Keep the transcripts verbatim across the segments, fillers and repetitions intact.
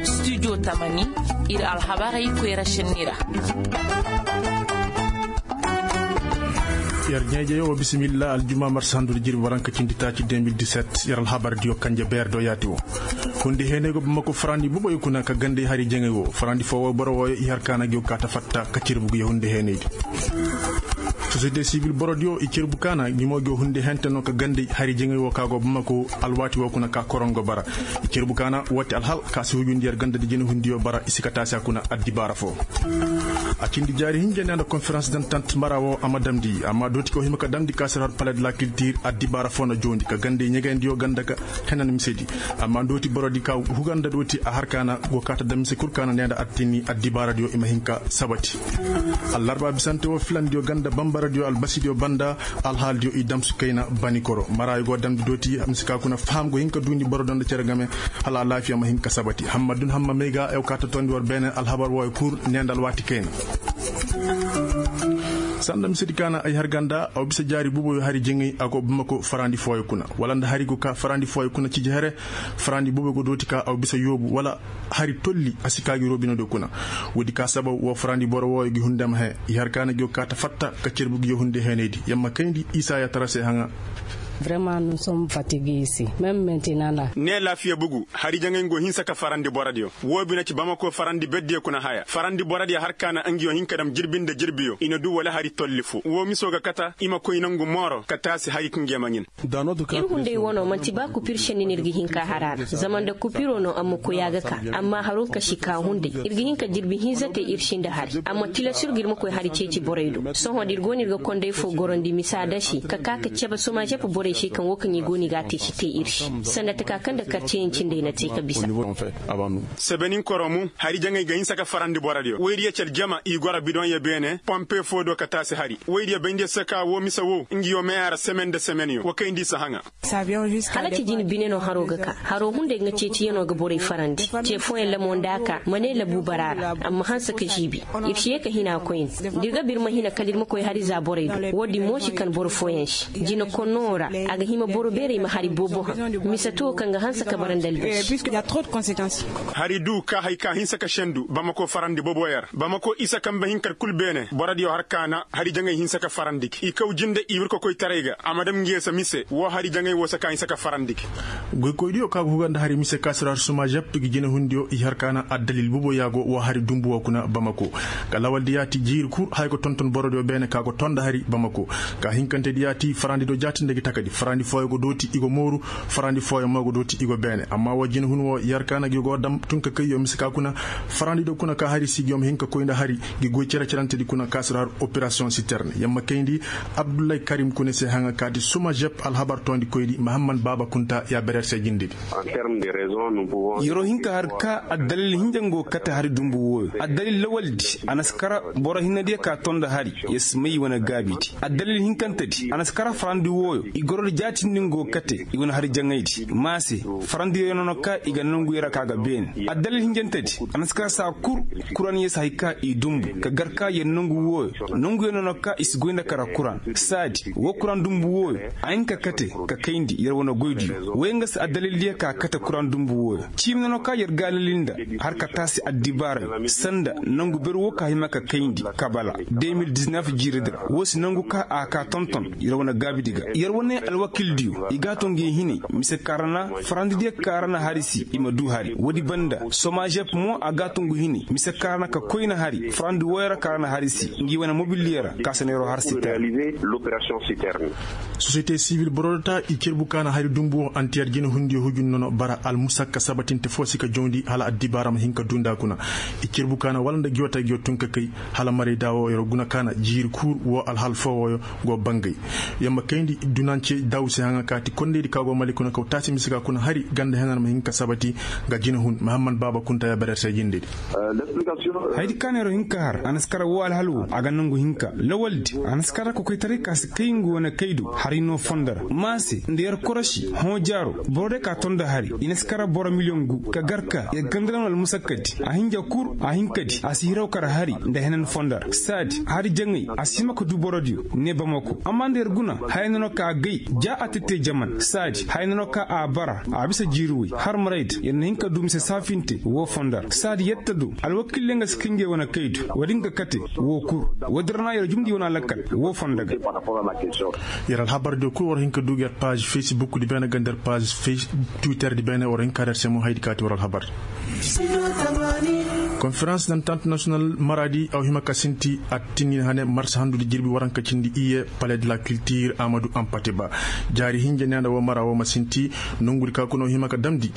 Studio tamani, ir alhabarey koyra šenni ra. Yer ɲeejeyo wa bisimilla aljuma marsa handu da jirbi waranka cindi taaci deux mille dix-sept. Yer alhabar diyo kanje beer do yaati wo. Hundi heeney go bamako farandi boboyo kuna ka gandey hari jaŋay wo farandi foo wo boro wooyo i har kaana gi wo kaa ta fatta ka cerbu gi yo hundi heeney di. Sosiyete sibil borodiyo i cerbu kaana gi mo gi wo hundi hente no ka gandey hari jaŋay wo ka go bamako. Alwaati wo kuna ka koron go bara i cerbu kaana woo ti alhal ka si hujundi yer ganda di jina hundiyo bara i si ka taasi a kuna addibaara foo. A cindi jaari hinja ne nda konferans dantant mara wo a ma damndi amma dooti ka wo hima ka damndi ka si har palet la kiltir addibaara foo na joondi ka gandey ɲegeendiyo ganda ka henan misedi. Amma dooti borodi ka huganda dooti a har kaana go kaata da mise kul kaana ne nda attini addibaaradiyo i ma hin ka sabati. Allarba bisante wo filandiyo ganda bambaradiyo albasidiyo banda. Alhaaldiyo i damsu kayna banikoro maraayo go damndi dooti mise ka kuna faham go hin ka duundi borodo nda cere game. Hala alaafiya ma hin ka sabati hamma dun hamma may ga ew ka ta toondi war beene alhabar wooyo kul ne nda alwaati kayna. Sanda misedi kaana ay har ganda aw bisa jaari buboyo hari jaŋay a go bamako farandi fooyo kuna wala nda hari go ka farandi fooyo kuna ciji here. Farandi buboyo go dooti ka aw bisa yoobu wala hari tolli a si ka gi robinodiyo kuna. Woodi ka sababu woo farandi boro wooyo gi hunde ma hee i har kaana gi go ka ta fatta ka cerbu gi yo hunde heenaydi yamma kayndi isa ya tara se haŋa. Vraiment nous sommes fatigués ici même maintenant la. Ne laafiya bugu hari jaŋay go hinsa ka farandi borodiyo woo bine ci bamako farandi beddiyo kuna haya farandi borodiyo har kaana ngi yo hin ka dam jirbi nda jirbiyo i na duu wala hari tolli foo woo miso ga kata i ma koy nangu mooro ka taasi hari ka ngi yo ma ɲin. Ir hunday wano man'ti ba kupir šenni no ir ga hin ka har a ra zama nda kupiro no a ma koy a ga ka. Amma haro ka si ka hunday ir ga hin ka jirbi hinza te ir si nda hari amma tilas ir ga ir ma koy hari ceeci borey do sohõ da ir go no ir ga konday foo gorandi misa da se ka ka ka cebe soma žep borey se kaŋ wo kaŋ i go no i ga a te si te ir se. Sanda taka kaŋ nda karciyaŋ cindey na te ka bisa. Sebenin koromu hari jaŋay ga hinsa ka farandi borodiyo woydiyo ci aljama i goro bidoŋyo beene pompe foo do ka taasi hari woydiyo bayndi se ka woo mise woo ngi yo meya ra semen nda semenyo wa kayndi i si haŋa. Hala ci jin bine no haro ga ka haro hunday ga ceeciyanoo ga borey farandi ce fooyaŋ lamo nda a ka ma ne labu bara ra. Amma hanse ka žiibi ir si yee ka hina koyne da ir ga ba ir ma hina kala ir ma koy hari za borey do woodin mo si kan boro fooyaŋ se jina konnoo ra. A ga hima boro beerey ma hari boobo haŋ mise to kaŋ ga hanse ka bara nda albaši. Hari duu ka hay ka hinsa ka sendu bamako farandi booboyo ra bamako isa kambe hinkadi kul beene borodiyo har kaana hari jaŋay hinsa ka farandi gi i kaw jinde i wirko koytaray ga a ma dam ngi yee se mise woo hari jaŋay woo se ka hinsa ka farandi gi. Goykoydiyo ka go huga nda hari mise ka si ra har suma žep gi jinehundiyo i har kaana addalil bubo yaago woo hari dumbu woo kuna bamako. Ka lawaldi yaati jiiri kul haya go tonton borodiyo beene ka go tonda hari bamako. Ka hinkantedi yaati farandi do jaatinde gi takadi farandi fooyo go dooti i go mooru farandi fooyo mo go dooti i go beene amma woo jinehun woo i har kaana gi go dam tun ka kayyo mise ka kuna. Farandi do kuna ka hari si gi yo ma hin ka koy nda hari gi goy cere-cerentedi kuna ka si ra har operasiyoŋ siterne yamma kayndi. Abdullahi karim kune se haŋa ka di suma žep alhabar toondi koydi mahamman baaba kunta ya berer se jindedi. Yer'o hin ka har ka addalil hinja nga go kate hari dumbu wooyo addalil lawaldi a na si kara boro hinnadiyo ka tonda hari. Yer si may i wane gaabidi addalil hinkantedi a na si kara farandi wooyo i gorodi jaatindi nga go kate i wane hari jaŋaydi maase. Farandiyo nono ka i ga nangu yer a ka ga beene addalil hinjantedi a na si kara saa kul. Kuran yer si hay ka i dumbu ka gar ka yer nangu wooyo nanguyo nono ka i si goy nda kara kuran saadi woo kuran dumbu wooyo a hin ka kate ka kayndi yer wane goydiyo wooyo nga si addalildiyo ka kate kuran dumbu wooyo. Ciimi nono ka yer gaalali nda har ka taasi addibaarayo sanda nangu ber woo ka hima ka kayndi kabala deux mille dix-neuf jiiridi ra woo si nangu ka a ka tonton yer wane gaabidi ga yer wane alwakildiyo i ga a to ngi hinay mise ka ra na farandidiyo ka ra na hari si i ma duu hari woodi banda soma žep mo a ga a to ngu hinay mise ka ra na ka koyna hari farandi wooyo ra ka ra na hari si ngi wane mobildiyo ra ka se na yer'o har siterne. Sosiyete sibil borodota i cerbu kaana hari dumbu woo antiyer jinehundiyo hujun nono bara almusakka sabatinte foo si ka jawndi hala addibaara ma hin ka duu nda a kuna. I cerbu kaana wala nda giwata giyo tun ka kay hala marayda woo yer'o guna kaana jiiri kuur woo alhal foo wooyo go bangay. Yamma kayndi dunance daw se haŋa kaati kondaydi ka go mali kuna kaw taasi mise ka kuna hari ganda henan ma hin ka sabati. Nga jinehun mahamman baaba kunta ya berer se jindedi. Hayadi ka neeroo hin ka har a na si kara woo alhal woo a ga nangu hinka lawaldi a na si kara kokoytaray ka si kay nga wane kay do. Ay no fondo ra maase nda yer korosi hõ jaaro boro day ka tonda hari i na si kara boro miliyoŋ gu ka gar ka yer ganda ra no almusakkadi a hinja kul a hinkadi a si hiraw kara hari nda henan fondo ra saadi hari jaŋay a si hima ka du borodiyo ne bamako amma nda yer guna haya na no ka a gay ja a tette jaman saadi haya na no ka a bara a bisa jiiri woy har maray da yer na hin ka du mise saafinte woo fondo ra saadi yetta do alwakiilyaŋ ga si ka ngey wane kaydu woodin ga kate woo kul woodin ra na yer jumndi wane alakal woo fondo ga. Yer alhabar diyo kul war hin ka du ga yer paazi facebook di beene ga nda yer paazi twitter di beene war hin ka nda yer se mo haydi kaati war alhabar. Konferans dantant national maraadi a wa hima ka sinti a tinnin hane marsa handu di jirbi waranka cindi iye palais de la culture amadu ampate ba jaari hinja ne nda woo mara woo ma sinti nongudi ka kuna wa hima ka damndi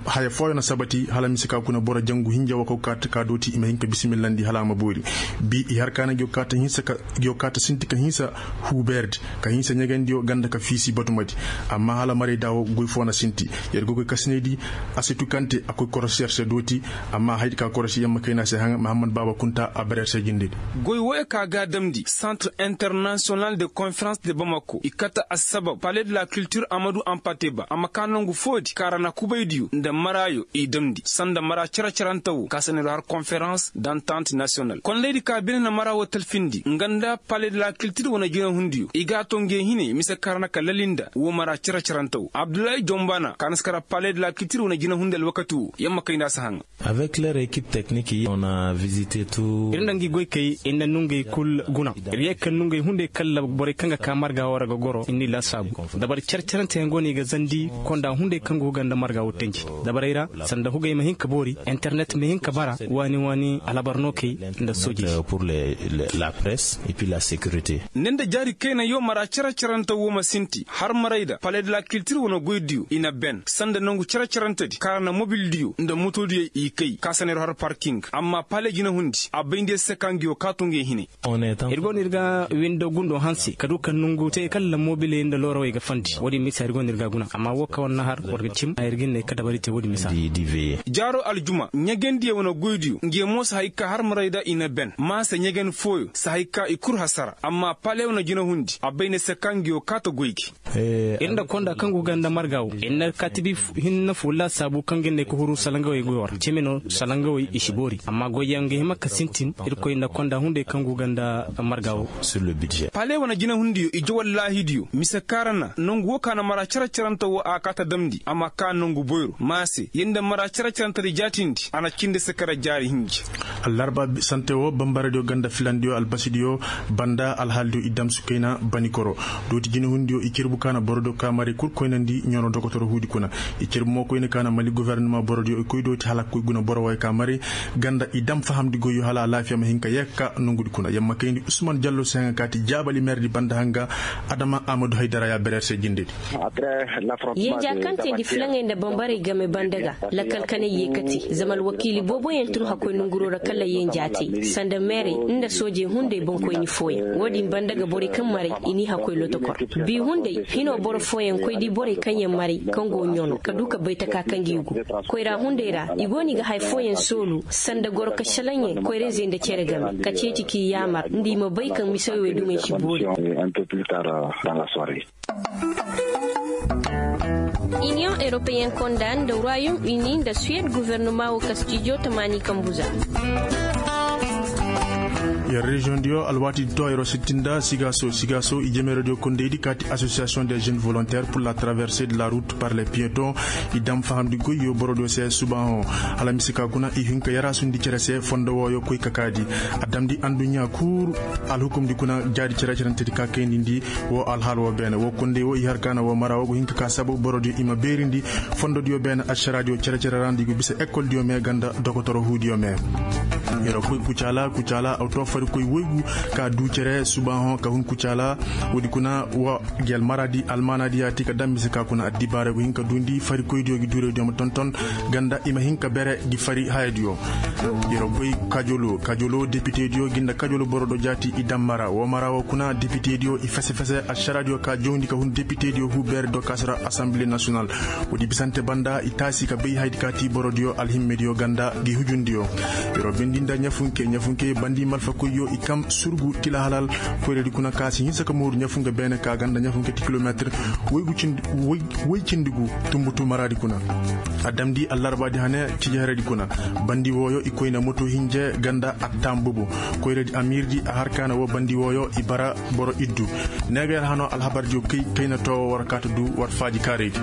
haya fooyo na sabati hala mise ka kuna boro jangu hinja woo ka kaati ka dooti i ma hin ka bisimillandi hala a ma boori bi i har ka na ngi woo kaati sinti ka hinsa huubeerdi ka hinsa ɲegendiyo ganda ka fiisi batumadi amma hala maray da woo goy foo na sinti yer goy koy kasinaydi a si tukante a koy korosi yer se dooti amma haydi ka korosi yamma kayna se haŋa mahammad baaba kunta a bara yer se jindedi. Goy wooyo ka ga a damndi centre international de conference de bamako i kate assabab palais de la culture amadu ampate ba a ma ka nongu foodi kaara na kubaydiyo nda maraayo i damndi sanda mara cere-cerante woo ka sanay do har konferans d'entente national kondaydi ka bine na mara woo talfindi nga nda palais de la culture wane jinahundiyo i ga a to nge hine mise kaŋ ra na ka lali nda woo mara cere-cerante woo abdullahi jonbana ka na si kara palais de la culture wane jinahundi alwakati woo yamma kay nda a si haŋa. Avec leur équipe technique on a visite tout. Ir nda ngi goy kay ir na nungey kul guna ir yee ka nungey hunday kalla borey kaŋ ga ka marga woo ra ga goro ir n'i laasaabu. Dabari care-caranteyaŋ go no i ga zandi konda hunday kaŋ go ga nda marga woo tanji dabarey ra sanda hugey ma hin ka boori internet ma hin ka bara waani waani alhabar nookey nda soojey. Pour la presse et puis la sécurité. Ne nda jaari kayna yoo mara care-carante woo ma sinti har maray da palais de la culture wane goydiyo i na ben sanda nangu care-carantedi kaŋ ra na mobildiyo nda motodiyo i kay ka sanay ra har parking amma palais jinahundi a bay nda yer se ka ngi woo kaatu ngi hine. Ir go no ir ga windo gundo hanse ka du ka nongu te kala mobiley nda loorawey ga fandi woodin misa ir go no ir ga a guna amma woo kaŋ war na har war ga cim a ir ga hin ne ka dabari te woodin misa. Jaaro aljuma ɲegandiyey wane goydiyo ngi mo si hay ka har maray da i na ben maase ɲegan fooyo si hay ka i kul hasara amma paley wane jinahundi a bay ne se ka ngi woo kaata goy gi. Ir nda konda kaŋ go ga nda marga woo ir na kaatibi hinne foo laasaabu kaŋ ga ne ka huru salangawey goy war cimi no salangawey i si boori amma goyyaŋ ga hima ka sintin irkoy nda konda hunday kaŋ go ga nda marga woo. Paley wane jinahundiyo ije wallaahidiyo mise kaŋ ra na nongu woo ka na mara care-carante woo a kaata damndi a ma ka nongu boyro maase yer nda mara care-carantedi jaatindi a na cindi se kara jaari hinji. Allarba sante woo bambaradiyo ganda filandiyo albasidiyo banda alhaalidiyo i damsu kayna banikoro dooti jinahundiyo i cirbu ka na borodiyo ka maray kul koynandi ɲono dokotoro huudi kuna. I cirbu mo koyna ka na mali gofornama borodiyo i koy dooti hala ka koy guna boro wooyo ka maray ganda i dam fahamndi goyyo hala alaafiya ma hin ka yee ka nongudi kuna yer ma kayndi usman jallo se haŋa kaati jaabali merdi banda haŋa adama amadu haydara ya bereer se jindedi. Yenja kaŋ teendi filaŋey nda bambarey game banda ga lakkal kanay yee kate zama alwakiili booboyaŋ tun hakkoy nonguroo ra kala yenja te sanda meerey nda soojey hunday boŋkoyni fooyaŋ woodin banda ga borey kaŋ maray i n'i hakkoy lotokor. Bi hunday hinoo boro fooyaŋ koy di borey kaŋ yaŋ maray kaŋ go ɲono ka du ka bay taka kaŋ gi go koyra hunday ra i go no i ga haya fooyaŋ soolu sanda goro ka šalaŋyaŋ koyrayzey nda cere game ka ceeci k'i yaamar nda i ma bay kaŋ misawey wey dumey si boori. Iniyoŋ eropeyen konda nda ruwayom ini nda suwed guvernoma wo ka stijo tamaani kambuza. Yer reziyoŋ diyo alwaati di to a yeroo sittin nda sigaaso sigaaso i jemeeroo diyo kondey di kaati asosiyasiyoŋ de jeune volontaire pur la traverse de la rut par le piyeton. I dam fahamndi goyyo borodiyo se subaahoŋ hala mise ka kuna i hin ka yaraasundi cere se fondo wooyo koy ka kaadi a damndi anduɲɲaa kul. Alhukumdi kuna jaadi cere-cerentedi ka kayndi ndi woo alhaal woo beene woo kondey woo i har ka na woo mara woo go hin ka ka sabu borodiyo i ma beerindi fondodiyo beene ašaraadiyo cere-cere ra nda i go bisa ekoldiyo me ganda dokotoro huudiyo me. Yeroo koy kucaala kucaala aw to farikoy woygu ka duu cere subaahoŋ ka hun kucaala. Woodi kuna wa gi almaraadi almaanaadi yaati ka dam mise ka kuna addibaarey go hin ka duundi farikoydiyo gi duuraydiyo ma tonton ganda i ma hin ka bere gi fari hayadiyo. Yeroo goy kajolo kajolo depitediyo gi nda kajolo boro do jaati i dam mara woo mara woo kuna depitediyo i fese-fese ašaraadiyo ka jawndi ka hun depitediyo huu beere dokaasi ra asanbile nasional. Woodi bisante banda i taasi ka bay hayadi ka ti borodiyo alhimmediyo ganda gi hujundiyo. Yeroo bendi nda ɲafunke ɲafunke bandi malfa. Yo i kam surgu tila halal koyradi kuna ka si hinsa ka mooru ɲafu nga beene ka ganda ɲafu nga ti kilometir woy cindi gu tumbutu maradi kuna. A damndi allarbaadi hane tiji heredi kuna. Bandi wooyo i koy na moto hinje ganda attaam bobo. Koyradi amiirdi a har ka na woo bandi wooyo i bara boro iddu. Neegayer hanoo alhabardiyo kay kay na too war kaata du war faaji kaaraydi.